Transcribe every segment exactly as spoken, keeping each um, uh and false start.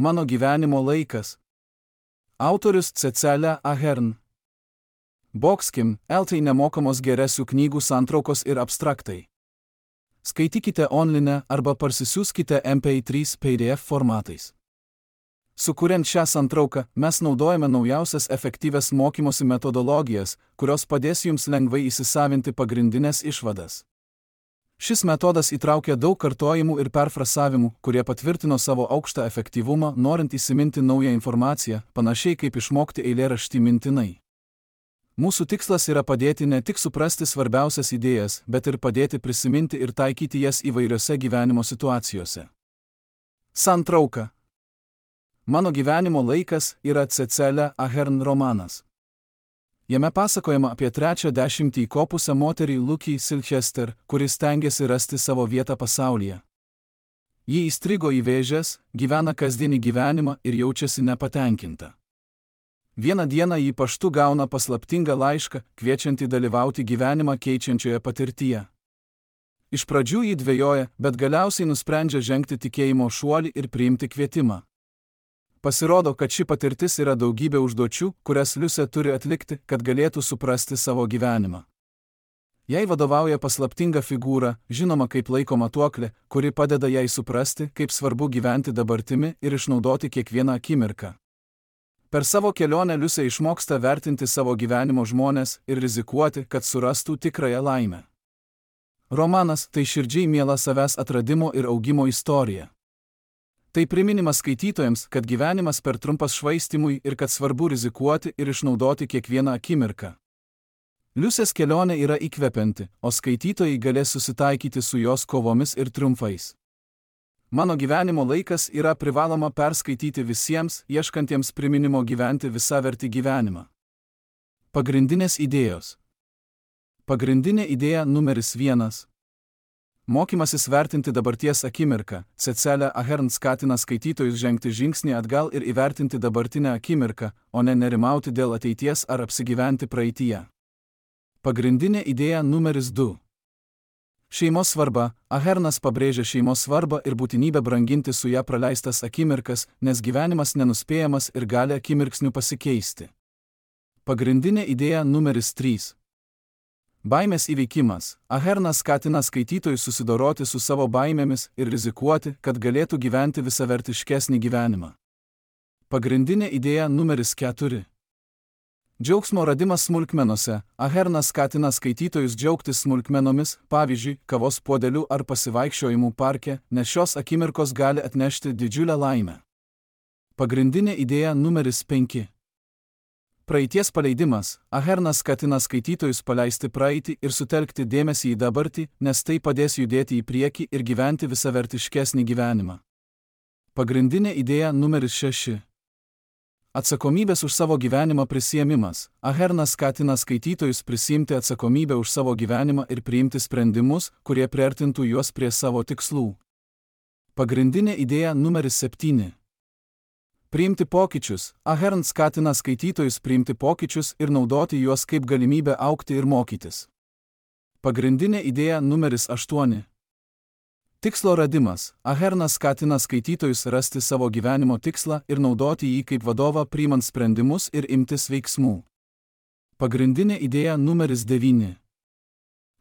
Mano gyvenimo laikas. Autorius Cecilija Ahern. Boxkim, eltai nemokamos geresių knygų santraukos ir abstraktai. Skaitykite online arba parsisiųskite M P trys P D F formatais. Sukuriant šią santrauką, mes naudojame naujausias efektyvias mokymosi metodologijas, kurios padės jums lengvai įsisavinti pagrindinės išvadas. Šis metodas įtraukia daug kartojimų ir perfrasavimų, kurie patvirtino savo aukštą efektyvumą, norint įsiminti naują informaciją, panašiai kaip išmokti eilėraštį mintinai. Mūsų tikslas yra padėti ne tik suprasti svarbiausias idėjas, bet ir padėti prisiminti ir taikyti jas įvairiose gyvenimo situacijose. Santrauka. Mano gyvenimo laikas yra Cecilija Ahern romanas. Jame pasakojama apie trečią dešimtį įkopusią moterį Lucy Silchester, kuris stengiasi rasti savo vietą pasaulyje. Ji įstrigo į vėžes, gyvena kasdienį gyvenimą ir jaučiasi nepatenkinta. Vieną dieną ji paštu gauna paslaptingą laišką, kviečiantį dalyvauti gyvenimą keičiančioje patirtyje. Iš pradžių ji dvejoja, bet galiausiai nusprendžia žengti tikėjimo šuolį ir priimti kvietimą. Pasirodo, kad ši patirtis yra daugybė užduočių, kurias Liusė turi atlikti, kad galėtų suprasti savo gyvenimą. Jai vadovauja paslaptinga figūra, žinoma kaip laiko matuoklė, kuri padeda jai suprasti, kaip svarbu gyventi dabartimi ir išnaudoti kiekvieną akimirką. Per savo kelionę Liusė išmoksta vertinti savo gyvenimo žmones ir rizikuoti, kad surastų tikrąją laimę. Romanas tai širdžiai miela savęs atradimo ir augimo istorija. Tai priminimas skaitytojams, kad gyvenimas per trumpas švaistymui ir kad svarbu rizikuoti ir išnaudoti kiekvieną akimirką. Liusės kelionė yra įkvepianti, o skaitytojai galės susitaikyti su jos kovomis ir triumfais. Mano gyvenimo laikas yra privaloma perskaityti visiems, ieškantiems priminimo gyventi visavertį gyvenimą. Pagrindinės idėjos. Pagrindinė idėja numeris vienas. Mokymasis vertinti dabarties akimirką. Cecilija Ahern skatina skaitytojus žengti žingsnį atgal ir įvertinti dabartinę akimirką, o ne nerimauti dėl ateities ar apsigyventi praeityje. Pagrindinė idėja numeris du. Šeimos svarba. Ahernas pabrėžia šeimos svarbą ir būtinybę branginti su ją praleistas akimirkas, nes gyvenimas nenuspėjamas ir gali akimirksniu pasikeisti. Pagrindinė idėja numeris trys. Baimės įveikimas. Ahernas skatina skaitytojus susidoroti su savo baimėmis ir rizikuoti, kad galėtų gyventi visavertiškesnį gyvenimą. Pagrindinė idėja numeris keturi. Džiaugsmo radimas smulkmenose. Ahernas skatina skaitytojus džiaugtis smulkmenomis, pavyzdžiui, kavos puodeliu ar pasivaikščiojimų parke, nes šios akimirkos gali atnešti didžiulę laimę. Pagrindinė idėja numeris penki. Praeities paleidimas. Ahernas skatina skaitytojus paleisti praeitį ir sutelkti dėmesį į dabartį, nes tai padės judėti į priekį ir gyventi visavertiškesnį gyvenimą. Pagrindinė idėja numeris šeši. Atsakomybės už savo gyvenimą prisiėmimas. Ahernas skatina skaitytojus prisiimti atsakomybę už savo gyvenimą ir priimti sprendimus, kurie priartintų juos prie savo tikslų. Pagrindinė idėja numeris septyni. Priimti pokyčius. Ahern skatina skaitytojus priimti pokyčius ir naudoti juos kaip galimybę augti ir mokytis. Pagrindinė idėja numeris aštuoni. Tikslo radimas. Ahernas skatina skaitytojus rasti savo gyvenimo tikslą ir naudoti jį kaip vadovą priimant sprendimus ir imtis veiksmų. Pagrindinė idėja numeris devyni.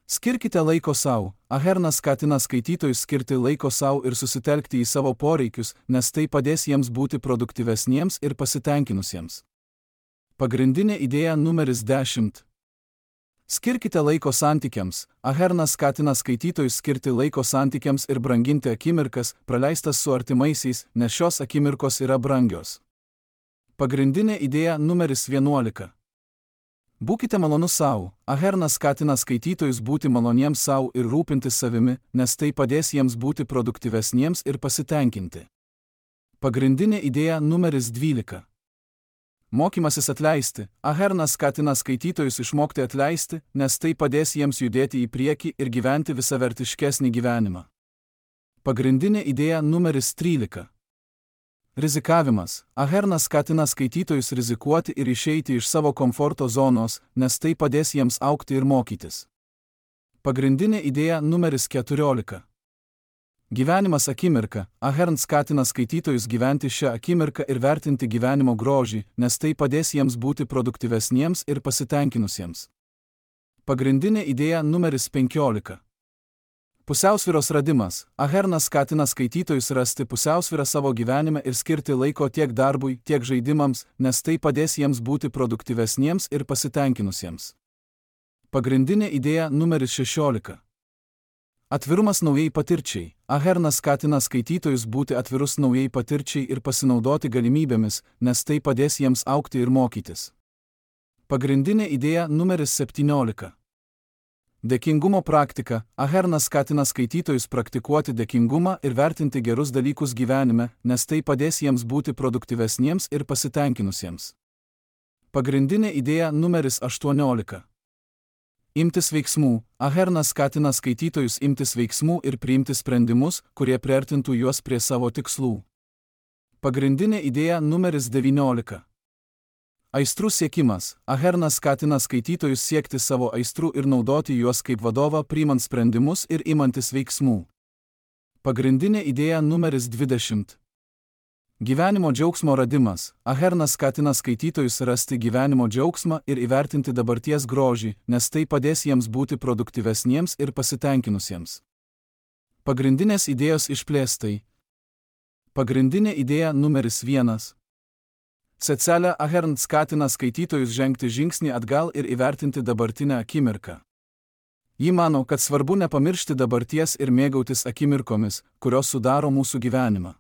Skirkite laiko sau. Ahernas skatina skaitytojus skirti laiko sau ir susitelkti į savo poreikius, nes tai padės jiems būti produktyvesniems ir pasitenkinusiems. Pagrindinė idėja numeris dešimt. Skirkite laiko santykiams. Ahernas skatina skaitytojus skirti laiko santykiams ir branginti akimirkas, praleistas su artimaisiais, nes šios akimirkos yra brangios. Pagrindinė idėja numeris vienuolika. Būkite malonus sau. Ahernas skatina skaitytojus būti maloniems sau ir rūpintis savimi, nes tai padės jiems būti produktyvesniems ir pasitenkinti. Pagrindinė idėja numeris dvylika. Mokymasis atleisti. Ahernas skatina skaitytojus išmokti atleisti, nes tai padės jiems judėti į priekį ir gyventi visavertiškesnį gyvenimą. Pagrindinė idėja numeris trylika. Rizikavimas. Ahernas skatina skaitytojus rizikuoti ir išeiti iš savo komforto zonos, nes tai padės jiems augti ir mokytis. Pagrindinė idėja numeris keturiolika. Gyvenimas akimirka. Ahern skatina skaitytojus gyventi šią akimirką ir vertinti gyvenimo grožį, nes tai padės jiems būti produktyvesniems ir pasitenkinusiems. Pagrindinė idėja numeris penkiolika. Pusiausvyros radimas. Ahernas skatina skaitytojus rasti pusiausvyrą savo gyvenime ir skirti laiko tiek darbui, tiek žaidimams, nes tai padės jiems būti produktyvesniems ir pasitenkinusiems. Pagrindinė idėja numeris šešiolika. Atvirumas naujai patirčiai. Ahernas skatina skaitytojus būti atvirus naujai patirčiai ir pasinaudoti galimybėmis, nes tai padės jiems augti ir mokytis. Pagrindinė idėja numeris septyniolika. Dėkingumo praktika. Ahernas skatina skaitytojus praktikuoti dėkingumą ir vertinti gerus dalykus gyvenime, nes tai padės jiems būti produktyvesniems ir pasitenkinusiems. Pagrindinė idėja numeris aštuoniolika. Imtis veiksmų. Ahernas skatina skaitytojus imtis veiksmų ir priimti sprendimus, kurie priartintų juos prie savo tikslų. Pagrindinė idėja numeris devyniolika. Aistrų siekimas. Ahernas skatina skaitytojus siekti savo aistrų ir naudoti juos kaip vadovą priimant sprendimus ir imantis veiksmų. Pagrindinė idėja numeris dvidešimt. Gyvenimo džiaugsmo radimas. Ahernas skatina skaitytojus rasti gyvenimo džiaugsmą ir įvertinti dabarties grožį, nes tai padės jiems būti produktyvesniems ir pasitenkinusiems. Pagrindinės idėjos išplėstai. Pagrindinė idėja numeris vienas. Cecilija Ahern skatina skaitytojus žengti žingsnį atgal ir įvertinti dabartinę akimirką. Ji mano, kad svarbu nepamiršti dabarties ir mėgautis akimirkomis, kurios sudaro mūsų gyvenimą.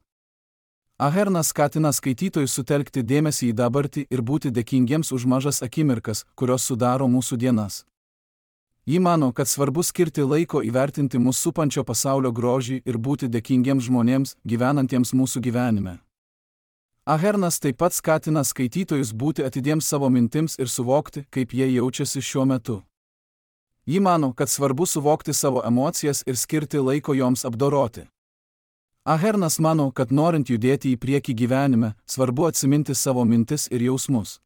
Ahernas skatina skaitytojus sutelkti dėmesį į dabartį ir būti dėkingiems už mažas akimirkas, kurios sudaro mūsų dienas. Ji mano, kad svarbu skirti laiko įvertinti mūsų supančio pasaulio grožį ir būti dėkingiems žmonėms, gyvenantiems mūsų gyvenime. Ahernas taip pat skatina skaitytojus būti atidiems savo mintims ir suvokti, kaip jie jaučiasi šiuo metu. Ji mano, kad svarbu suvokti savo emocijas ir skirti laiko joms apdoroti. Ahernas mano, kad norint judėti į priekį gyvenime, svarbu atsiminti savo mintis ir jausmus.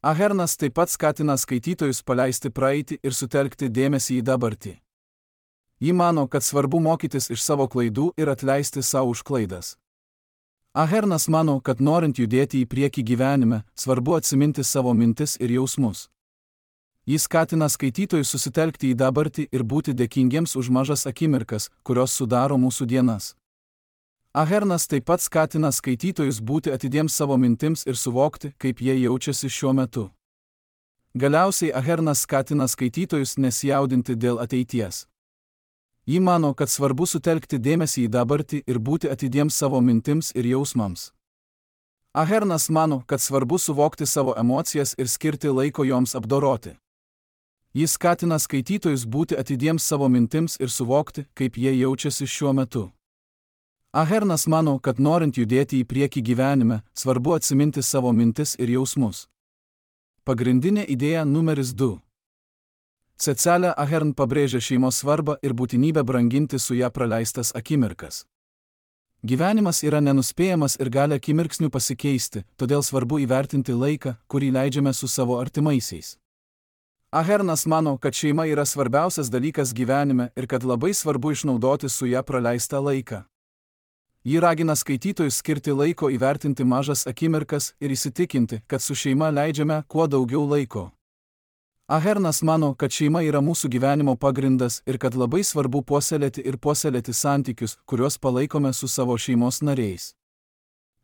Ahernas taip pat skatina skaitytojus paleisti praeitį ir sutelkti dėmesį į dabartį. Ji mano, kad svarbu mokytis iš savo klaidų ir atleisti savo už klaidas. Ahernas mano, kad norint judėti į priekį gyvenime, svarbu atsiminti savo mintis ir jausmus. Jis skatina skaitytojus susitelkti į dabartį ir būti dėkingiems už mažas akimirkas, kurios sudaro mūsų dienas. Ahernas taip pat skatina skaitytojus būti atidiems savo mintims ir suvokti, kaip jie jaučiasi šiuo metu. Galiausiai Ahernas skatina skaitytojus nesijaudinti dėl ateities. Ji mano, kad svarbu sutelkti dėmesį į dabartį ir būti atidiems savo mintims ir jausmams. Ahernas mano, kad svarbu suvokti savo emocijas ir skirti laiko joms apdoroti. Jis skatina skaitytojus būti atidiems savo mintims ir suvokti, kaip jie jaučiasi šiuo metu. Ahernas mano, kad norint judėti į priekį gyvenime, svarbu atsiminti savo mintis ir jausmus. Pagrindinė idėja numeris du. Cecilija Ahern pabrėžia šeimos svarbą ir būtinybę branginti su ją praleistas akimirkas. Gyvenimas yra nenuspėjamas ir gali akimirksniu pasikeisti, todėl svarbu įvertinti laiką, kurį leidžiame su savo artimaisiais. Ahernas mano, kad šeima yra svarbiausias dalykas gyvenime ir kad labai svarbu išnaudoti su ją praleistą laiką. Ji ragina skaitytojus skirti laiko įvertinti mažas akimirkas ir įsitikinti, kad su šeima leidžiame kuo daugiau laiko. Ahernas mano, kad šeima yra mūsų gyvenimo pagrindas ir kad labai svarbu puoselėti ir puoselėti santykius, kuriuos palaikome su savo šeimos nariais.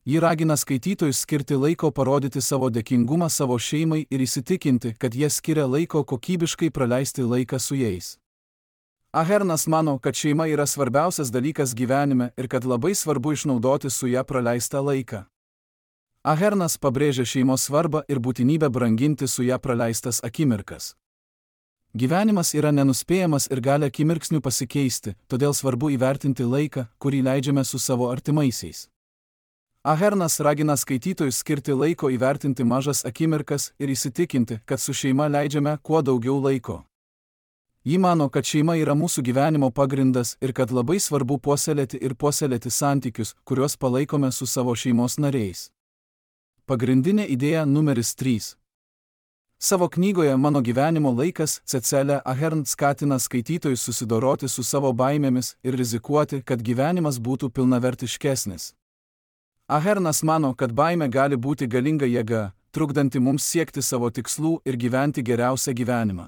Ji ragina skaitytojus skirti laiko parodyti savo dėkingumą savo šeimai ir įsitikinti, kad jie skiria laiko kokybiškai praleisti laiką su jais. Ahernas mano, kad šeima yra svarbiausias dalykas gyvenime ir kad labai svarbu išnaudoti su ją praleistą laiką. Ahernas pabrėžia šeimos svarbą ir būtinybę branginti su ją praleistas akimirkas. Gyvenimas yra nenuspėjamas ir gali akimirksniu pasikeisti, todėl svarbu įvertinti laiką, kurį leidžiame su savo artimaisiais. Ahernas ragina skaitytojus skirti laiko įvertinti mažas akimirkas ir įsitikinti, kad su šeima leidžiame kuo daugiau laiko. Ji mano, kad šeima yra mūsų gyvenimo pagrindas ir kad labai svarbu puoselėti ir puoselėti santykius, kuriuos palaikome su savo šeimos nariais. Pagrindinė idėja numeris trys. Savo knygoje Mano gyvenimo laikas Cecilija Ahern skatina skaitytojus susidoroti su savo baimėmis ir rizikuoti, kad gyvenimas būtų pilnavertiškesnis. Ahernas mano, kad baimė gali būti galinga jėga, trukdanti mums siekti savo tikslų ir gyventi geriausią gyvenimą.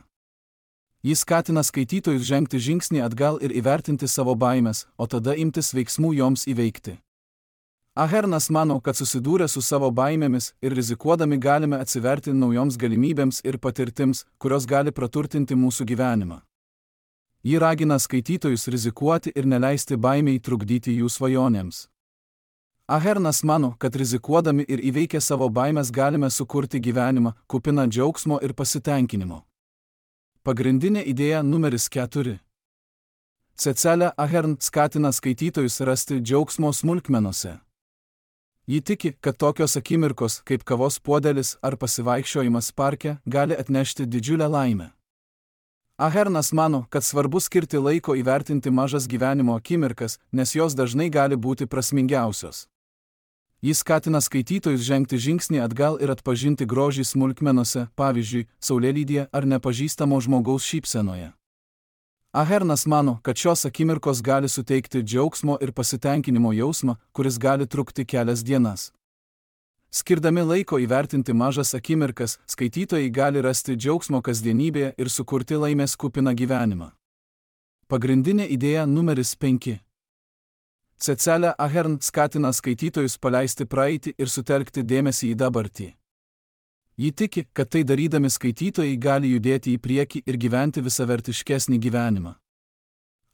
Jis skatina skaitytojus žengti žingsnį atgal ir įvertinti savo baimės, o tada imtis veiksmų joms įveikti. Ahernas mano, kad susidūrę su savo baimėmis ir rizikuodami galime atsiverti naujoms galimybėms ir patirtims, kurios gali praturtinti mūsų gyvenimą. Ji ragina skaitytojus rizikuoti ir neleisti baimiai trukdyti jų svajonėms. Ahernas mano, kad rizikuodami ir įveikę savo baimės galime sukurti gyvenimą, kupiną džiaugsmo ir pasitenkinimo. Pagrindinė idėja numeris keturi. Cecilija Ahern skatina skaitytojus rasti džiaugsmo smulkmenose. Ji tiki, kad tokios akimirkos, kaip kavos puodelis ar pasivaikščiojimas parke, gali atnešti didžiulę laimę. Ahernas mano, kad svarbu skirti laiko įvertinti mažas gyvenimo akimirkas, nes jos dažnai gali būti prasmingiausios. Jis skatina skaitytojus žengti žingsnį atgal ir atpažinti grožį smulkmenose, pavyzdžiui, saulėlydyje ar nepažįstamo žmogaus šypsenoje. Ahernas mano, kad šios akimirkos gali suteikti džiaugsmo ir pasitenkinimo jausmą, kuris gali trukti kelias dienas. Skirdami laiko įvertinti mažas akimirkas, skaitytojai gali rasti džiaugsmo kasdienybėje ir sukurti laimės kupiną gyvenimą. Pagrindinė idėja numeris penki. Cecilija Ahern skatina skaitytojus paleisti praeitį ir sutelkti dėmesį į dabartį. Ji tiki, kad tai darydami skaitytojai gali judėti į priekį ir gyventi visavertiškesnį gyvenimą.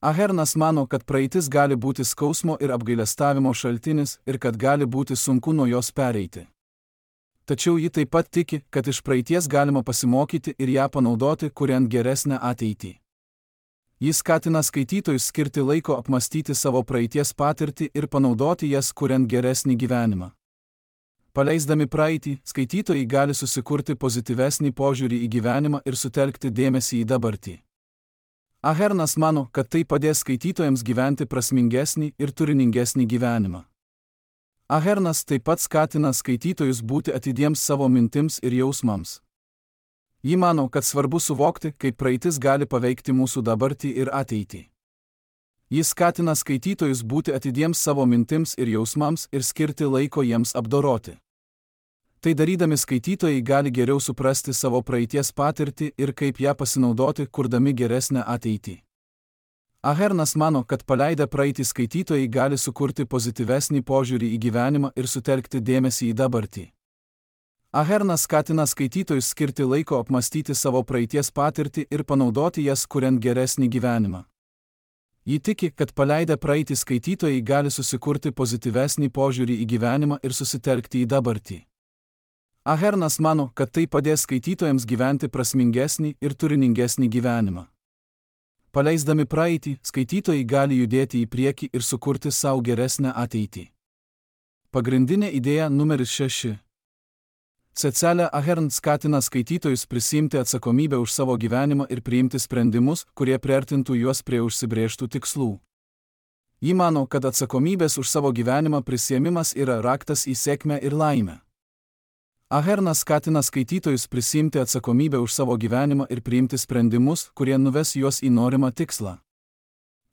Ahernas mano, kad praeitis gali būti skausmo ir apgailestavimo šaltinis ir kad gali būti sunku nuo jos pereiti. Tačiau ji taip pat tiki, kad iš praeities galima pasimokyti ir ją panaudoti, kuriant geresnę ateitį. Jis skatina skaitytojus skirti laiko apmastyti savo praeities patirtį ir panaudoti jas, kuriant geresnį gyvenimą. Paleisdami praeitį, skaitytojai gali susikurti pozityvesnį požiūrį į gyvenimą ir sutelkti dėmesį į dabartį. Ahernas mano, kad tai padės skaitytojams gyventi prasmingesnį ir turiningesnį gyvenimą. Ahernas taip pat skatina skaitytojus būti atidiems savo mintims ir jausmams. Ji mano, kad svarbu suvokti, kaip praeitis gali paveikti mūsų dabartį ir ateitį. Jis skatina skaitytojus būti atidiems savo mintims ir jausmams ir skirti laiko jiems apdoroti. Tai darydami skaitytojai gali geriau suprasti savo praeities patirtį ir kaip ją pasinaudoti, kurdami geresnę ateitį. Ahernas mano, kad paleidę praeitį skaitytojai gali sukurti pozityvesnį požiūrį į gyvenimą ir sutelkti dėmesį į dabartį. Ahernas skatina skaitytojus skirti laiko apmastyti savo praeities patirtį ir panaudoti jas, kuriant geresnį gyvenimą. Ji tiki, kad paleidę praeitį skaitytojai gali susikurti pozityvesnį požiūrį į gyvenimą ir susitelkti į dabartį. Ahernas mano, kad tai padės skaitytojams gyventi prasmingesnį ir turiningesnį gyvenimą. Paleisdami praeitį, skaitytojai gali judėti į priekį ir sukurti savo geresnę ateitį. Pagrindinė idėja numeris šeši. Cecilija Ahern skatina skaitytojus prisiimti atsakomybę už savo gyvenimą ir priimti sprendimus, kurie priartintų juos prie užsibrėžtų tikslų. Ji mano, kad atsakomybės už savo gyvenimą prisiėmimas yra raktas į sėkmę ir laimę. Ahernas skatina skaitytojus prisiimti atsakomybę už savo gyvenimą ir priimti sprendimus, kurie nuves juos į norimą tikslą.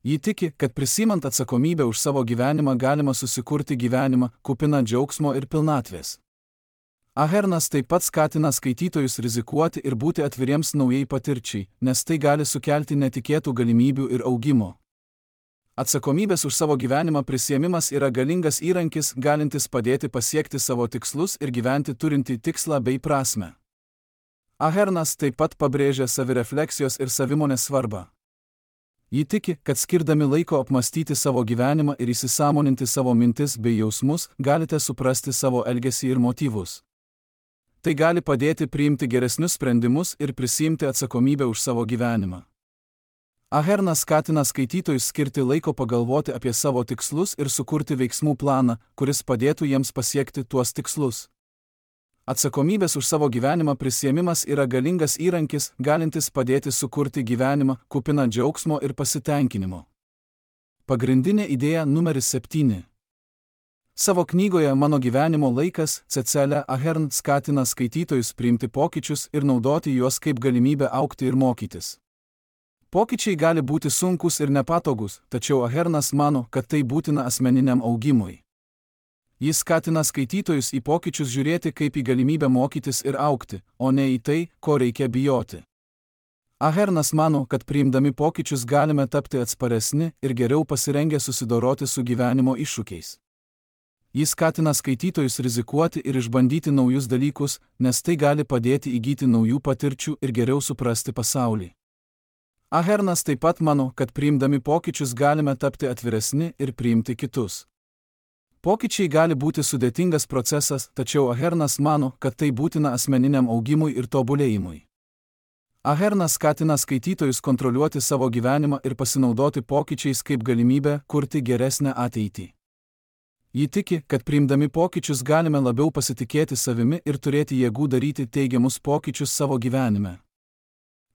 Ji tiki, kad prisimant atsakomybę už savo gyvenimą galima susikurti gyvenimą, kupiną džiaugsmo ir pilnatvės. Ahernas taip pat skatina skaitytojus rizikuoti ir būti atviriems naujai patirčiai, nes tai gali sukelti netikėtų galimybių ir augimo. Atsakomybės už savo gyvenimą prisiėmimas yra galingas įrankis, galintis padėti pasiekti savo tikslus ir gyventi turintį tikslą bei prasmę. Ahernas taip pat pabrėžia savirefleksijos ir savimonės svarbą. Ji tiki, kad skirdami laiko apmastyti savo gyvenimą ir įsisąmoninti savo mintis bei jausmus, galite suprasti savo elgesį ir motyvus. Tai gali padėti priimti geresnius sprendimus ir prisiimti atsakomybę už savo gyvenimą. Ahernas skatina skaitytojus skirti laiko pagalvoti apie savo tikslus ir sukurti veiksmų planą, kuris padėtų jiems pasiekti tuos tikslus. Atsakomybės už savo gyvenimą prisiėmimas yra galingas įrankis, galintis padėti sukurti gyvenimą, kupiną džiaugsmo ir pasitenkinimo. Pagrindinė idėja numeris septyni. Savo knygoje Mano gyvenimo laikas Cecilija Ahern skatina skaitytojus priimti pokyčius ir naudoti juos kaip galimybę augti ir mokytis. Pokyčiai gali būti sunkus ir nepatogus, tačiau Ahernas mano, kad tai būtina asmeniniam augimui. Jis skatina skaitytojus į pokyčius žiūrėti kaip į galimybę mokytis ir augti, o ne į tai, ko reikia bijoti. Ahernas mano, kad priimdami pokyčius galime tapti atsparesni ir geriau pasirengę susidoroti su gyvenimo iššūkiais. Jis skatina skaitytojus rizikuoti ir išbandyti naujus dalykus, nes tai gali padėti įgyti naujų patirčių ir geriau suprasti pasaulį. Ahernas taip pat mano, kad priimdami pokyčius galime tapti atviresni ir priimti kitus. Pokyčiai gali būti sudėtingas procesas, tačiau Ahernas mano, kad tai būtina asmeniniam augimui ir tobulėjimui. Ahernas skatina skaitytojus kontroliuoti savo gyvenimą ir pasinaudoti pokyčiais kaip galimybę kurti geresnę ateitį. Ji tiki, kad priimdami pokyčius galime labiau pasitikėti savimi ir turėti jėgų daryti teigiamus pokyčius savo gyvenime.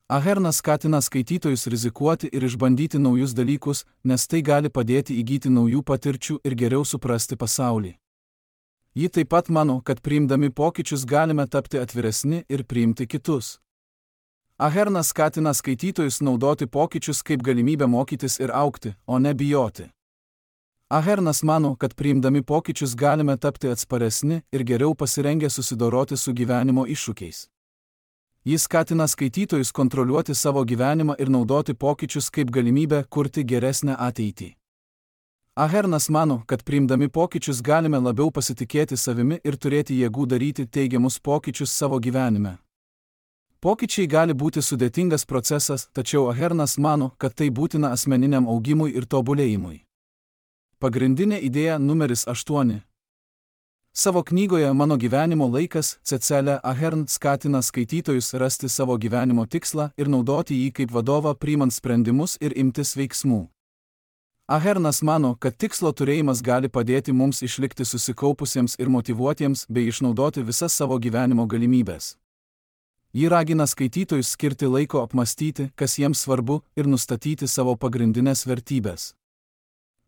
Ahernas skatina skaitytojus rizikuoti ir išbandyti naujus dalykus, nes tai gali padėti įgyti naujų patirčių ir geriau suprasti pasaulį. Ji taip pat mano, kad priimdami pokyčius galime tapti atviresni ir priimti kitus. Ahernas skatina skaitytojus naudoti pokyčius kaip galimybę mokytis ir augti, o ne bijoti. Ahernas mano, kad priimdami pokyčius galime tapti atsparesni ir geriau pasirengę susidoroti su gyvenimo iššūkiais. Jis skatina skaitytojus kontroliuoti savo gyvenimą ir naudoti pokyčius kaip galimybę kurti geresnę ateitį. Ahernas mano, kad priimdami pokyčius galime labiau pasitikėti savimi ir turėti jėgų daryti teigiamus pokyčius savo gyvenime. Pokyčiai gali būti sudėtingas procesas, tačiau Ahernas mano, kad tai būtina asmeniniam augimui ir tobulėjimui. Pagrindinė idėja numeris aštuoni. Savo knygoje Mano gyvenimo laikas Cecilija Ahern skatina skaitytojus rasti savo gyvenimo tikslą ir naudoti jį kaip vadovą priimant sprendimus ir imtis veiksmų. Ahernas mano, kad tikslo turėjimas gali padėti mums išlikti susikaupusiems ir motyvuotiems bei išnaudoti visas savo gyvenimo galimybės. Ji ragina skaitytojus skirti laiko apmastyti, kas jiems svarbu, ir nustatyti savo pagrindinės vertybės.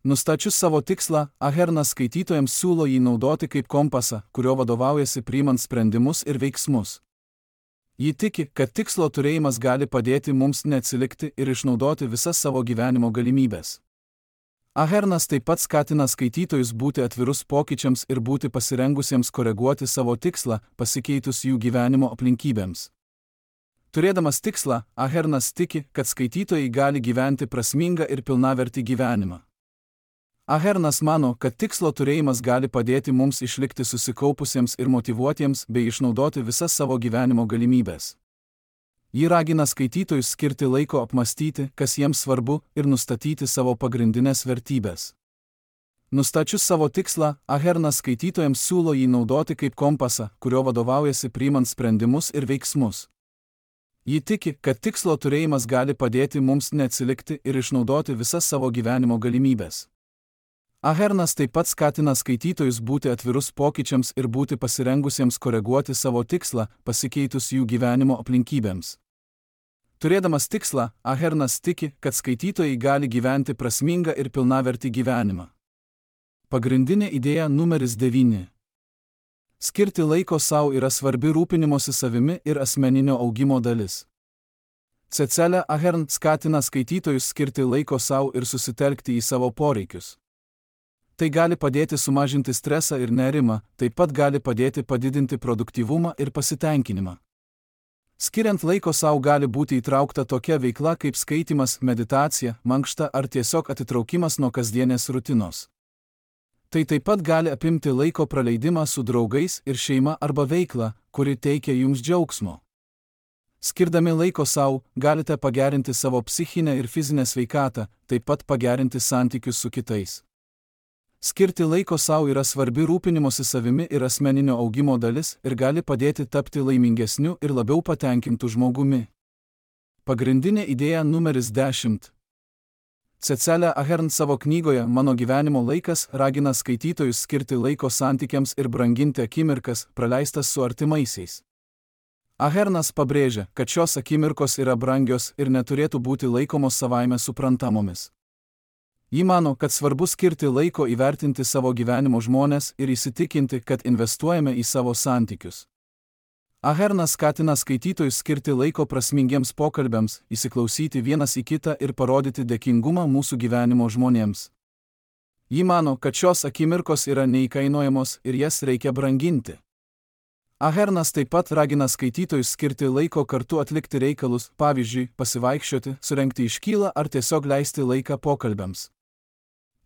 Nustačius savo tikslą, Ahernas skaitytojams siūlo jį naudoti kaip kompasą, kurio vadovaujasi priimant sprendimus ir veiksmus. Ji tiki, kad tikslo turėjimas gali padėti mums neatsilikti ir išnaudoti visas savo gyvenimo galimybės. Ahernas taip pat skatina skaitytojus būti atvirus pokyčiams ir būti pasirengusiems koreguoti savo tikslą, pasikeitus jų gyvenimo aplinkybėms. Turėdamas tikslą, Ahernas tiki, kad skaitytojai gali gyventi prasmingą ir pilnavertį gyvenimą. Ahernas mano, kad tikslo turėjimas gali padėti mums išlikti susikaupusiems ir motyvuotiems bei išnaudoti visas savo gyvenimo galimybės. Ji ragina skaitytojus skirti laiko apmastyti, kas jiems svarbu, ir nustatyti savo pagrindinės vertybės. Nustačius savo tikslą, Ahernas skaitytojams siūlo jį naudoti kaip kompasą, kurio vadovaujasi priimant sprendimus ir veiksmus. Ji tiki, kad tikslo turėjimas gali padėti mums neatsilikti ir išnaudoti visas savo gyvenimo galimybės. Ahernas taip pat skatina skaitytojus būti atvirus pokyčiams ir būti pasirengusiems koreguoti savo tikslą, pasikeitus jų gyvenimo aplinkybėms. Turėdamas tikslą, Ahernas tiki, kad skaitytojai gali gyventi prasmingą ir pilnavertį gyvenimą. Pagrindinė idėja numeris devyni. Skirti laiko sau yra svarbi rūpinimosi savimi ir asmeninio augimo dalis. Cecilija Ahern skatina skaitytojus skirti laiko sau ir susitelkti į savo poreikius. Tai gali padėti sumažinti stresą ir nerimą, taip pat gali padėti padidinti produktyvumą ir pasitenkinimą. Skiriant laiko sau gali būti įtraukta tokia veikla kaip skaitymas, meditacija, mankšta ar tiesiog atitraukimas nuo kasdienės rutinos. Tai taip pat gali apimti laiko praleidimą su draugais ir šeima arba veiklą, kuri teikia jums džiaugsmo. Skirdami laiko sau, galite pagerinti savo psichinę ir fizinę sveikatą, taip pat pagerinti santykius su kitais. Skirti laiko sau yra svarbi rūpinimosi savimi ir asmeninio augimo dalis ir gali padėti tapti laimingesniu ir labiau patenkintu žmogumi. Pagrindinė idėja numeris dešimt. Cecilija Ahern savo knygoje Mano gyvenimo laikas ragina skaitytojus skirti laiko santykiams ir branginti akimirkas, praleistas su artimaisiais. Ahernas pabrėžia, kad šios akimirkos yra brangios ir neturėtų būti laikomos savaime suprantamomis. Ji mano, kad svarbu skirti laiko įvertinti savo gyvenimo žmones ir įsitikinti, kad investuojame į savo santykius. Ahernas skatina skaitytojus skirti laiko prasmingiems pokalbiams, įsiklausyti vienas į kitą ir parodyti dėkingumą mūsų gyvenimo žmonėms. Ji mano, kad šios akimirkos yra neįkainojamos ir jas reikia branginti. Ahernas taip pat ragina skaitytojus skirti laiko kartu atlikti reikalus, pavyzdžiui, pasivaikščioti, surengti iškylą ar tiesiog leisti laiką pokalbiams.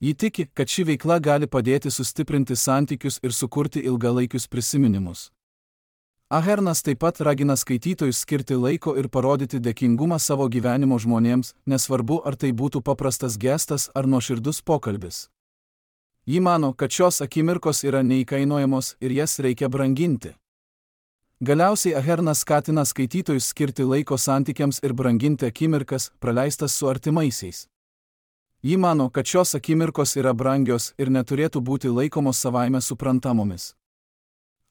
Ji tiki, kad ši veikla gali padėti sustiprinti santykius ir sukurti ilgalaikius prisiminimus. Ahernas taip pat ragina skaitytojus skirti laiko ir parodyti dėkingumą savo gyvenimo žmonėms, nesvarbu ar tai būtų paprastas gestas ar nuoširdus pokalbis. Ji mano, kad šios akimirkos yra neįkainojamos ir jas reikia branginti. Galiausiai Ahernas skatina skaitytojus skirti laiko santykiams ir branginti akimirkas, praleistas su artimaisiais. Ji mano, kad šios akimirkos yra brangios ir neturėtų būti laikomos savaime suprantamomis.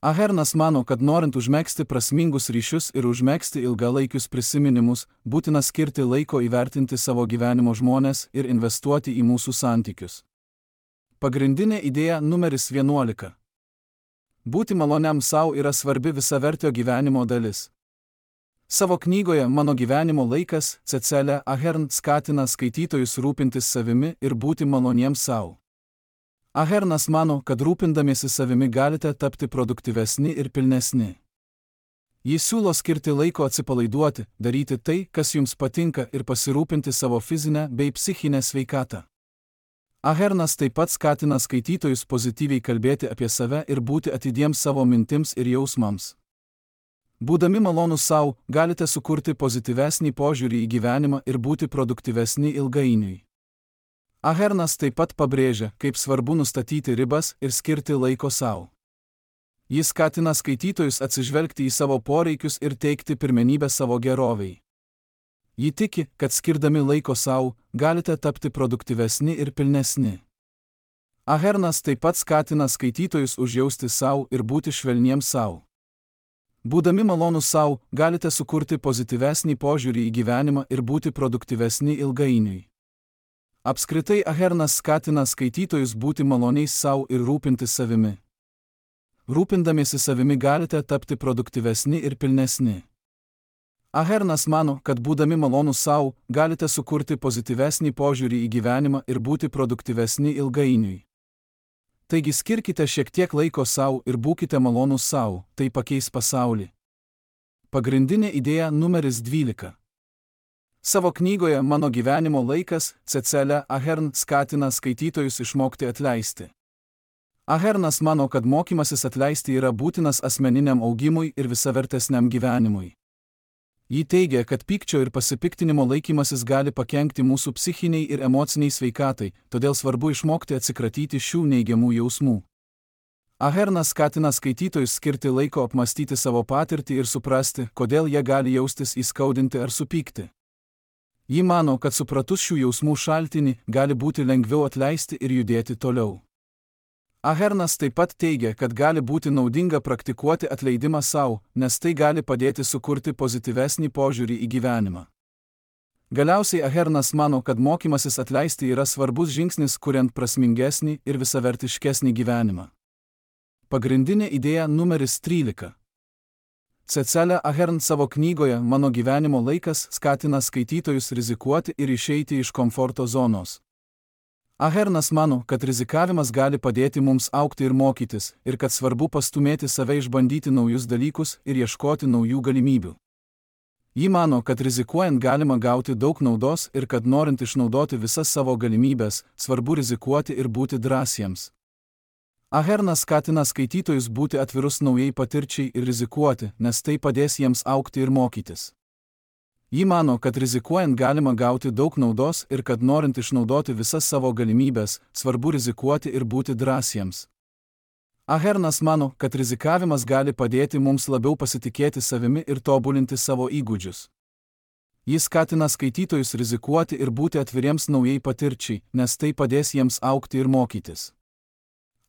Ahernas mano, kad norint užmegzti prasmingus ryšius ir užmegzti ilgalaikius prisiminimus, būtina skirti laiko įvertinti savo gyvenimo žmones ir investuoti į mūsų santykius. Pagrindinė idėja numeris vienuolika. Būti maloniam sau yra svarbi visavertio gyvenimo dalis. Savo knygoje Mano gyvenimo laikas Cecilija Ahern skatina skaitytojus rūpintis savimi ir būti maloniems sau. Ahernas mano, kad rūpindamiesi savimi galite tapti produktyvesni ir pilnesni. Jis siūlo skirti laiko atsipalaiduoti, daryti tai, kas jums patinka ir pasirūpinti savo fizinę bei psichinę sveikatą. Ahernas taip pat skatina skaitytojus pozityviai kalbėti apie save ir būti atidiems savo mintims ir jausmams. Būdami malonūs sau, galite sukurti pozityvesnį požiūrį į gyvenimą ir būti produktyvesni ilgainiui. Ahernas taip pat pabrėžia, kaip svarbu nustatyti ribas ir skirti laiko sau. Jis skatina skaitytojus atsižvelgti į savo poreikius ir teikti pirmenybę savo gerovei. Ji tiki, kad skirdami laiko sau, galite tapti produktyvesni ir pilnesni. Ahernas taip pat skatina skaitytojus užjausti sau ir būti švelniems sau. Būdami malonūs sau, galite sukurti pozityvesnį požiūrį į gyvenimą ir būti produktyvesni ilgainiui. Apskritai Ahernas skatina skaitytojus būti maloniais sau ir rūpintis savimi. Rūpindamiesi savimi galite tapti produktyvesni ir pilnesni. Ahernas mano, kad būdami malonūs sau, galite sukurti pozityvesnį požiūrį į gyvenimą ir būti produktyvesni ilgainiui. Taigi skirkite šiek tiek laiko sau ir būkite malonūs sau, tai pakeis pasaulį. Pagrindinė idėja numeris dvylika. Savo knygoje Mano gyvenimo laikas Cecilija Ahern skatina skaitytojus išmokti atleisti. Ahernas mano, kad mokymasis atleisti yra būtinas asmeniniam augimui ir visavertesniam gyvenimui. Ji teigia, kad pykčio ir pasipiktinimo laikymasis gali pakenkti mūsų psichiniai ir emociniai sveikatai, todėl svarbu išmokti atsikratyti šių neigiamų jausmų. Ahernas skatina skaitytojus skirti laiko apmastyti savo patirtį ir suprasti, kodėl jie gali jaustis įskaudinti ar supykti. Ji mano, kad supratus šių jausmų šaltinį, gali būti lengviau atleisti ir judėti toliau. Ahernas taip pat teigia, kad gali būti naudinga praktikuoti atleidimą sau, nes tai gali padėti sukurti pozityvesnį požiūrį į gyvenimą. Galiausiai Ahernas mano, kad mokymasis atleisti yra svarbus žingsnis, kuriant prasmingesnį ir visavertiškesnį gyvenimą. Pagrindinė idėja numeris trylika. Cecilija Ahern savo knygoje Mano gyvenimo laikas skatina skaitytojus rizikuoti ir išeiti iš komforto zonos. Ahernas mano, kad rizikavimas gali padėti mums augti ir mokytis, ir kad svarbu pastumėti save išbandyti naujus dalykus ir ieškoti naujų galimybių. Ji mano, kad rizikuojant galima gauti daug naudos ir kad norint išnaudoti visas savo galimybės, svarbu rizikuoti ir būti drąsiems. Ahernas skatina skaitytojus būti atvirus naujai patirčiai ir rizikuoti, nes tai padės jiems augti ir mokytis. Ji mano, kad rizikuojant galima gauti daug naudos ir kad norint išnaudoti visas savo galimybės, svarbu rizikuoti ir būti drąsiems. Ahernas mano, kad rizikavimas gali padėti mums labiau pasitikėti savimi ir tobulinti savo įgūdžius. Jis skatina skaitytojus rizikuoti ir būti atviriems naujai patirčiai, nes tai padės jiems augti ir mokytis.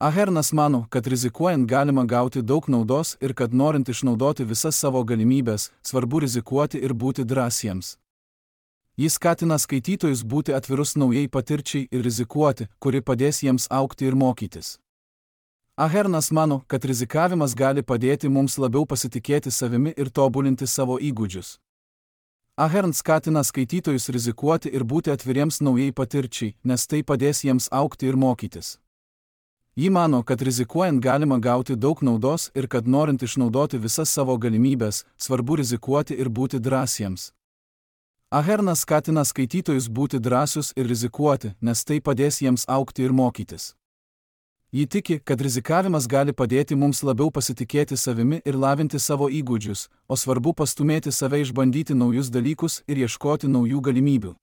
Ahernas mano, kad rizikuojant galima gauti daug naudos ir kad norint išnaudoti visas savo galimybės, svarbu rizikuoti ir būti drąsiems. Jis skatina skaitytojus būti atvirus naujai patirčiai ir rizikuoti, kuri padės jiems augti ir mokytis. Ahernas mano, kad rizikavimas gali padėti mums labiau pasitikėti savimi ir tobulinti savo įgūdžius. Ahern skatina skaitytojus rizikuoti ir būti atviriems naujai patirčiai, nes tai padės jiems augti ir mokytis. Ji mano, kad rizikuojant galima gauti daug naudos ir kad norint išnaudoti visas savo galimybės, svarbu rizikuoti ir būti drąsiems. Ahernas skatina skaitytojus būti drąsius ir rizikuoti, nes tai padės jiems augti ir mokytis. Ji tiki, kad rizikavimas gali padėti mums labiau pasitikėti savimi ir lavinti savo įgūdžius, o svarbu pastumėti save išbandyti naujus dalykus ir ieškoti naujų galimybių.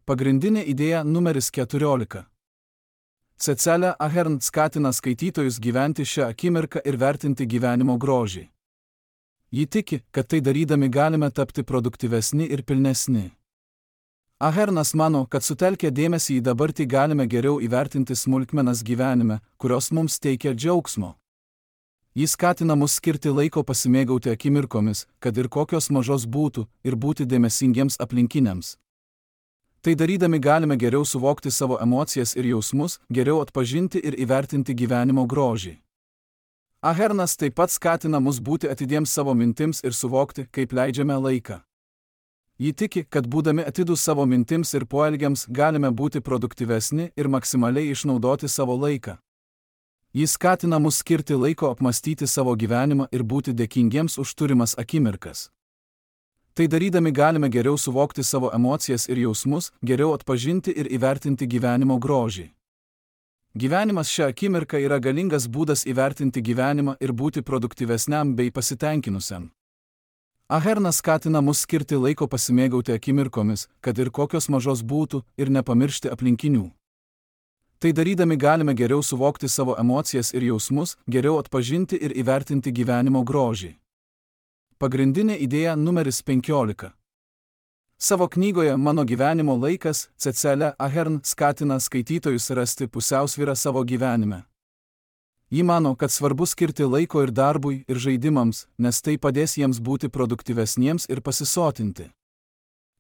Pagrindinė idėja numeris keturiolika. Cecilija Ahern skatina skaitytojus gyventi šią akimirką ir vertinti gyvenimo grožį. Ji tiki, kad tai darydami galime tapti produktyvesni ir pilnesni. Ahernas mano, kad sutelkę dėmesį į dabartį galime geriau įvertinti smulkmenas gyvenime, kurios mums teikia džiaugsmo. Jis skatina mus skirti laiko pasimėgauti akimirkomis, kad ir kokios mažos būtų, ir būti dėmesingiems aplinkiniams. Tai darydami galime geriau suvokti savo emocijas ir jausmus, geriau atpažinti ir įvertinti gyvenimo grožį. Ahernas taip pat skatina mus būti atidiems savo mintims ir suvokti, kaip leidžiame laiką. Ji tiki, kad būdami atidūs savo mintims ir poelgiams galime būti produktyvesni ir maksimaliai išnaudoti savo laiką. Jis skatina mus skirti laiko apmastyti savo gyvenimą ir būti dėkingiems už turimas akimirkas. Tai darydami galime geriau suvokti savo emocijas ir jausmus, geriau atpažinti ir įvertinti gyvenimo grožį. Gyvenimas šią akimirką yra galingas būdas įvertinti gyvenimą ir būti produktyvesniam bei pasitenkinusiam. Ahernas skatina mus skirti laiko pasimėgauti akimirkomis, kad ir kokios mažos būtų, ir nepamiršti aplinkinių. Tai darydami galime geriau suvokti savo emocijas ir jausmus, geriau atpažinti ir įvertinti gyvenimo grožį. Pagrindinė idėja numeris penkiolika. Savo knygoje Mano gyvenimo laikas Cecilija Ahern skatina skaitytojus rasti pusiausvyrą savo gyvenime. Ji mano, kad svarbu skirti laiko ir darbui, ir žaidimams, nes tai padės jiems būti produktyvesniems ir pasisotinti.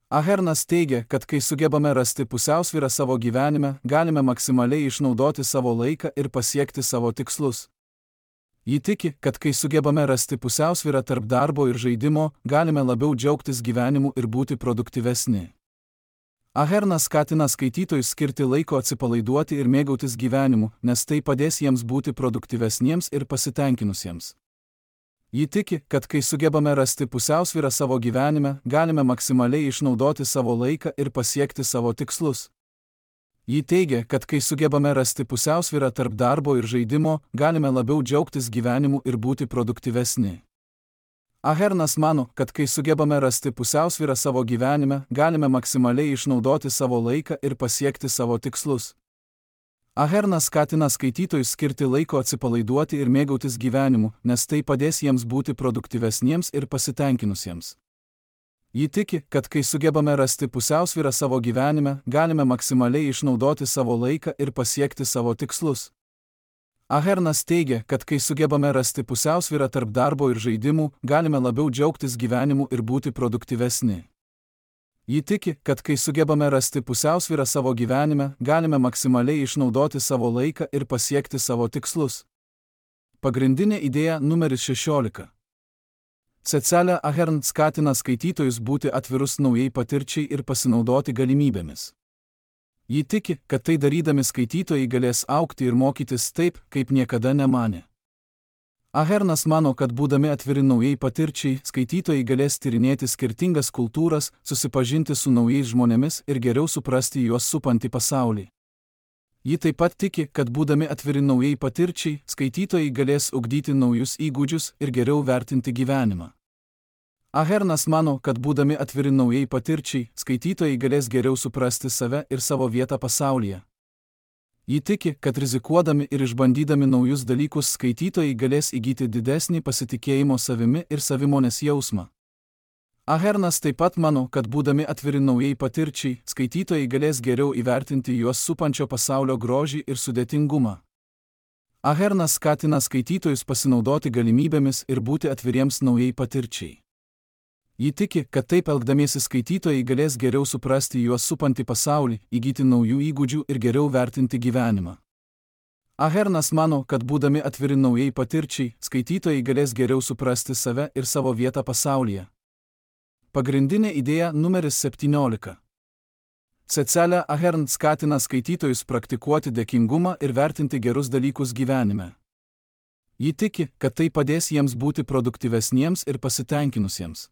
Ahernas teigia, kad kai sugebame rasti pusiausvyrą savo gyvenime, galime maksimaliai išnaudoti savo laiką ir pasiekti savo tikslus. Ji tiki, kad kai sugebame rasti pusiausvyrą tarp darbo ir žaidimo, galime labiau džiaugtis gyvenimu ir būti produktyvesni. Ahernas skatina skaitytojus skirti laiko atsipalaiduoti ir mėgautis gyvenimu, nes tai padės jiems būti produktyvesniems ir pasitenkinusiems. Ji tiki, kad kai sugebame rasti pusiausvyrą savo gyvenime, galime maksimaliai išnaudoti savo laiką ir pasiekti savo tikslus. Ji teigia, kad kai sugebame rasti pusiausvyrą tarp darbo ir žaidimo, galime labiau džiaugtis gyvenimu ir būti produktyvesni. Ahernas mano, kad kai sugebame rasti pusiausvyrą savo gyvenime, galime maksimaliai išnaudoti savo laiką ir pasiekti savo tikslus. Ahernas skatina skaitytojus skirti laiko atsipalaiduoti ir mėgautis gyvenimu, nes tai padės jiems būti produktyvesniems ir pasitenkinusiems. Ji tiki, kad kai sugebame rasti pusiausvyrą savo gyvenime, galime maksimaliai išnaudoti savo laiką ir pasiekti savo tikslus. Ahernas teigia, kad kai sugebame rasti pusiausvyrą tarp darbo ir žaidimų, galime labiau džiaugtis gyvenimu ir būti produktyvesni. Ji tiki, kad kai sugebame rasti pusiausvyrą savo gyvenime, galime maksimaliai išnaudoti savo laiką ir pasiekti savo tikslus. Pagrindinė idėja numeris šešiolika. Cecilija Ahern skatina skaitytojus būti atvirus naujai patirčiai ir pasinaudoti galimybėmis. Ji tiki, kad tai darydami skaitytojai galės augti ir mokytis taip, kaip niekada nemanė. Ahernas mano, kad būdami atviri naujai patirčiai, skaitytojai galės tyrinėti skirtingas kultūras, susipažinti su naujais žmonėmis ir geriau suprasti juos supantį pasaulį. Ji taip pat tiki, kad būdami atviri naujai patirčiai, skaitytojai galės ugdyti naujus įgūdžius ir geriau vertinti gyvenimą. Ahernas mano, kad būdami atviri naujai patirčiai, skaitytojai galės geriau suprasti save ir savo vietą pasaulyje. Ji tiki, kad rizikuodami ir išbandydami naujus dalykus skaitytojai galės įgyti didesnį pasitikėjimo savimi ir savimonės jausmą. Ahernas taip pat mano, kad būdami atviri naujai patirčiai, skaitytojai galės geriau įvertinti juos supančio pasaulio grožį ir sudėtingumą. Ahernas skatina skaitytojus pasinaudoti galimybėmis ir būti atviriems naujai patirčiai. Ji tiki, kad taip elgdamiesi skaitytojai galės geriau suprasti juos supantį pasaulį, įgyti naujų įgūdžių ir geriau vertinti gyvenimą. Ahernas mano, kad būdami atviri naujai patirčiai, skaitytojai galės geriau suprasti save ir savo vietą pasaulyje. Pagrindinė idėja numeris septyniolika. Cecilija Ahern skatina skaitytojus praktikuoti dėkingumą ir vertinti gerus dalykus gyvenime. Ji tiki, kad tai padės jiems būti produktyvesniems ir pasitenkinusiems.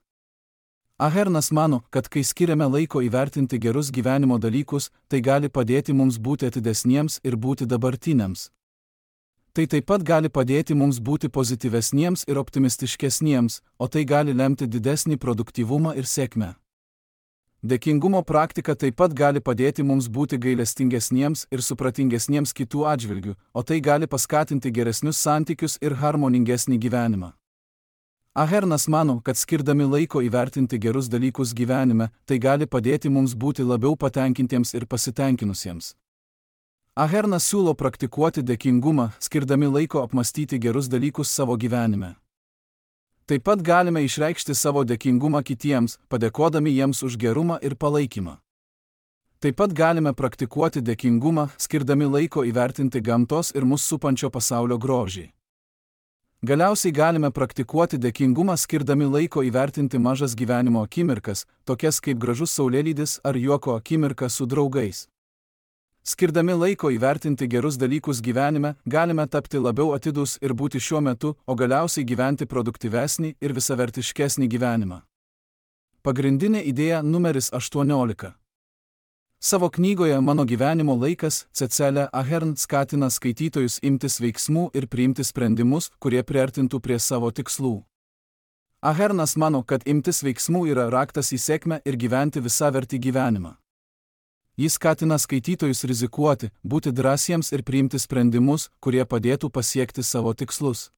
Ahernas mano, kad kai skiriame laiko įvertinti gerus gyvenimo dalykus, tai gali padėti mums būti atidesniems ir būti dabartiniams. Tai taip pat gali padėti mums būti pozityvesniems ir optimistiškesniems, o tai gali lemti didesnį produktyvumą ir sėkmę. Dėkingumo praktika taip pat gali padėti mums būti gailestingesniems ir supratingesniems kitų atžvilgių, o tai gali paskatinti geresnius santykius ir harmoningesnį gyvenimą. Ahernas mano, kad skirdami laiko įvertinti gerus dalykus gyvenime, tai gali padėti mums būti labiau patenkintiems ir pasitenkinusiems. Ahernas siūlo praktikuoti dėkingumą, skirdami laiko apmastyti gerus dalykus savo gyvenime. Taip pat galime išreikšti savo dėkingumą kitiems, padėkodami jiems už gerumą ir palaikymą. Taip pat galime praktikuoti dėkingumą, skirdami laiko įvertinti gamtos ir mus supančio pasaulio grožį. Galiausiai galime praktikuoti dėkingumą, skirdami laiko įvertinti mažas gyvenimo akimirkas, tokias kaip gražus saulėlydis ar juoko akimirka su draugais. Skirdami laiko įvertinti gerus dalykus gyvenime, galime tapti labiau atidūs ir būti šiuo metu, o galiausiai gyventi produktyvesnį ir visavertiškesnį gyvenimą. Pagrindinė idėja numeris aštuoniolika. Savo knygoje Mano gyvenimo laikas Cecilija Ahern skatina skaitytojus imtis veiksmų ir priimti sprendimus, kurie priartintų prie savo tikslų. Ahernas mano, kad imtis veiksmų yra raktas į sėkmę ir gyventi visavertį gyvenimą. Jis skatina skaitytojus rizikuoti, būti drąsiems ir priimti sprendimus, kurie padėtų pasiekti savo tikslus.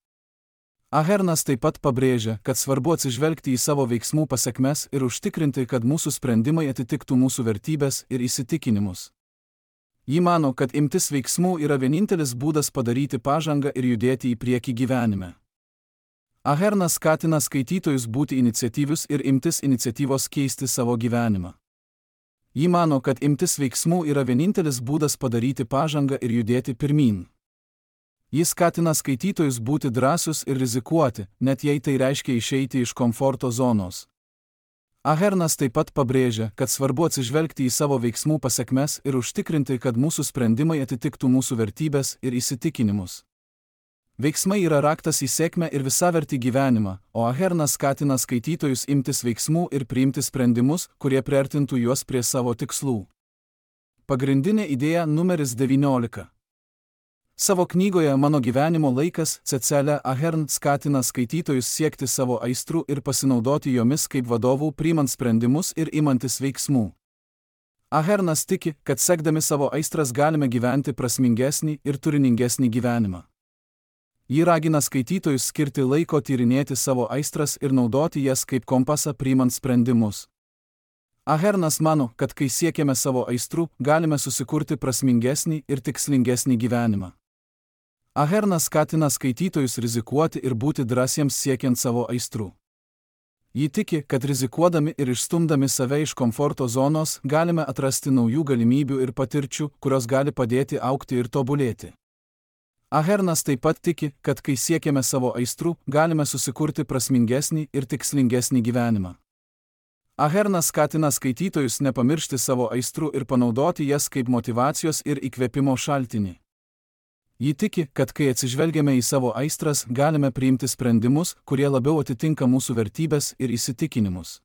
Ahernas taip pat pabrėžia, kad svarbu atsižvelgti į savo veiksmų pasekmes ir užtikrinti, kad mūsų sprendimai atitiktų mūsų vertybes ir įsitikinimus. Ji mano, kad imtis veiksmų yra vienintelis būdas padaryti pažangą ir judėti į priekį gyvenime. Ahernas skatina skaitytojus būti iniciatyvius ir imtis iniciatyvos keisti savo gyvenimą. Ji mano, kad imtis veiksmų yra vienintelis būdas padaryti pažangą ir judėti pirmyn. Jis skatina skaitytojus būti drąsus ir rizikuoti, net jei tai reiškia išeiti iš komforto zonos. Ahernas taip pat pabrėžia, kad svarbu atsižvelgti į savo veiksmų pasekmes ir užtikrinti, kad mūsų sprendimai atitiktų mūsų vertybes ir įsitikinimus. Veiksmai yra raktas į sėkmę ir visavertį gyvenimą, o Ahernas skatina skaitytojus imtis veiksmų ir priimti sprendimus, kurie priartintų juos prie savo tikslų. Pagrindinė idėja numeris devyniolika. Savo knygoje Mano gyvenimo laikas Cecilija Ahern skatina skaitytojus siekti savo aistrų ir pasinaudoti jomis kaip vadovų priimant sprendimus ir imantis veiksmų. Ahernas tiki, kad sekdami savo aistras galime gyventi prasmingesnį ir turiningesnį gyvenimą. Ji ragina skaitytojus skirti laiko tyrinėti savo aistras ir naudoti jas kaip kompasą priimant sprendimus. Ahernas mano, kad kai siekiame savo aistrų, galime susikurti prasmingesnį ir tikslingesnį gyvenimą. Ahernas skatina skaitytojus rizikuoti ir būti drąsiems siekiant savo aistrų. Ji tiki, kad rizikuodami ir išstumdami save iš komforto zonos galime atrasti naujų galimybių ir patirčių, kurios gali padėti augti ir tobulėti. Ahernas taip pat tiki, kad kai siekiame savo aistrų, galime susikurti prasmingesnį ir tikslingesnį gyvenimą. Ahernas skatina skaitytojus nepamiršti savo aistrų ir panaudoti jas kaip motyvacijos ir įkvėpimo šaltinį. Ji tiki, kad kai atsižvelgiame į savo aistras, galime priimti sprendimus, kurie labiau atitinka mūsų vertybes ir įsitikinimus.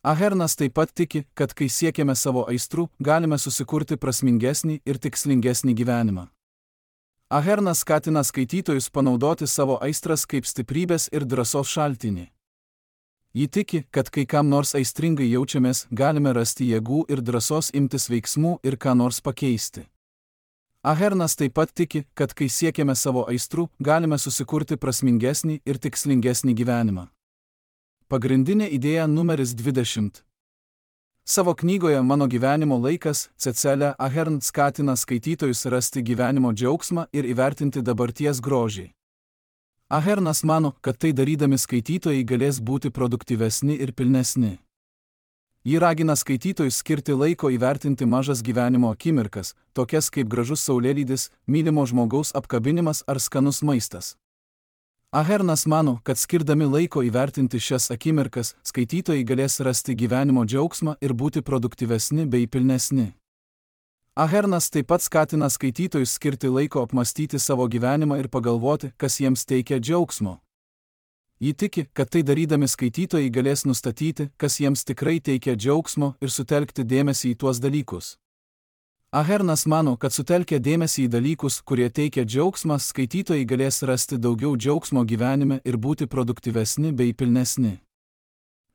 Ahernas taip pat tiki, kad kai siekiame savo aistrų, galime susikurti prasmingesnį ir tikslingesnį gyvenimą. Ahernas skatina skaitytojus panaudoti savo aistras kaip stiprybės ir drąsos šaltinį. Ji tiki, kad kai kam nors aistringai jaučiamės, galime rasti jėgų ir drąsos imtis veiksmų ir ką nors pakeisti. Ahernas taip pat tiki, kad kai siekiame savo aistrų, galime susikurti prasmingesnį ir tikslingesnį gyvenimą. Pagrindinė idėja numeris dvidešimt. Savo knygoje Mano gyvenimo laikas Cecilija Ahern skatina skaitytojus rasti gyvenimo džiaugsmą ir įvertinti dabarties grožį. Ahernas mano, kad tai darydami skaitytojai galės būti produktyvesni ir pilnesni. Ji ragina skaitytojus skirti laiko įvertinti mažas gyvenimo akimirkas, tokias kaip gražus saulėlydis, mylimo žmogaus apkabinimas ar skanus maistas. Ahernas mano, kad skirdami laiko įvertinti šias akimirkas, skaitytojai galės rasti gyvenimo džiaugsmą ir būti produktyvesni bei pilnesni. Ahernas taip pat skatina skaitytojus skirti laiko apmastyti savo gyvenimą ir pagalvoti, kas jiems teikia džiaugsmo. Ji tiki, kad tai darydami skaitytojai galės nustatyti, kas jiems tikrai teikia džiaugsmo ir sutelkti dėmesį į tuos dalykus. Ahernas mano, kad sutelkę dėmesį į dalykus, kurie teikia džiaugsmą, skaitytojai galės rasti daugiau džiaugsmo gyvenime ir būti produktyvesni bei pilnesni.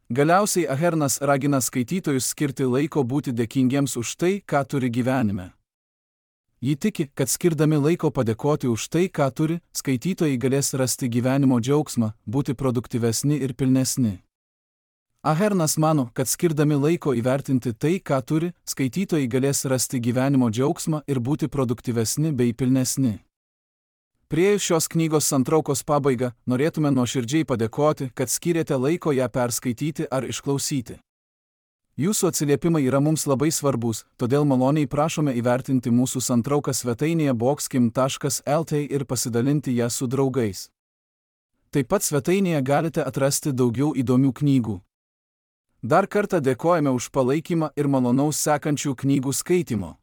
Galiausiai Ahernas ragina skaitytojus skirti laiko būti dėkingiems už tai, ką turi gyvenime. Ji tiki, kad skirdami laiko padėkoti už tai, ką turi, skaitytojai galės rasti gyvenimo džiaugsmą, būti produktyvesni ir pilnesni. Ahernas mano, kad skirdami laiko įvertinti tai, ką turi, skaitytojai galės rasti gyvenimo džiaugsmą ir būti produktyvesni bei pilnesni. Priėjus šios knygos santraukos pabaigą, norėtume nuoširdžiai padėkoti, kad skyrėte laiko ją perskaityti ar išklausyti. Jūsų atsiliepimai yra mums labai svarbus, todėl maloniai prašome įvertinti mūsų santrauką svetainėje boxkim taškas lt ir pasidalinti ją su draugais. Taip pat svetainėje galite atrasti daugiau įdomių knygų. Dar kartą dėkojame už palaikymą ir malonaus sekančių knygų skaitimo.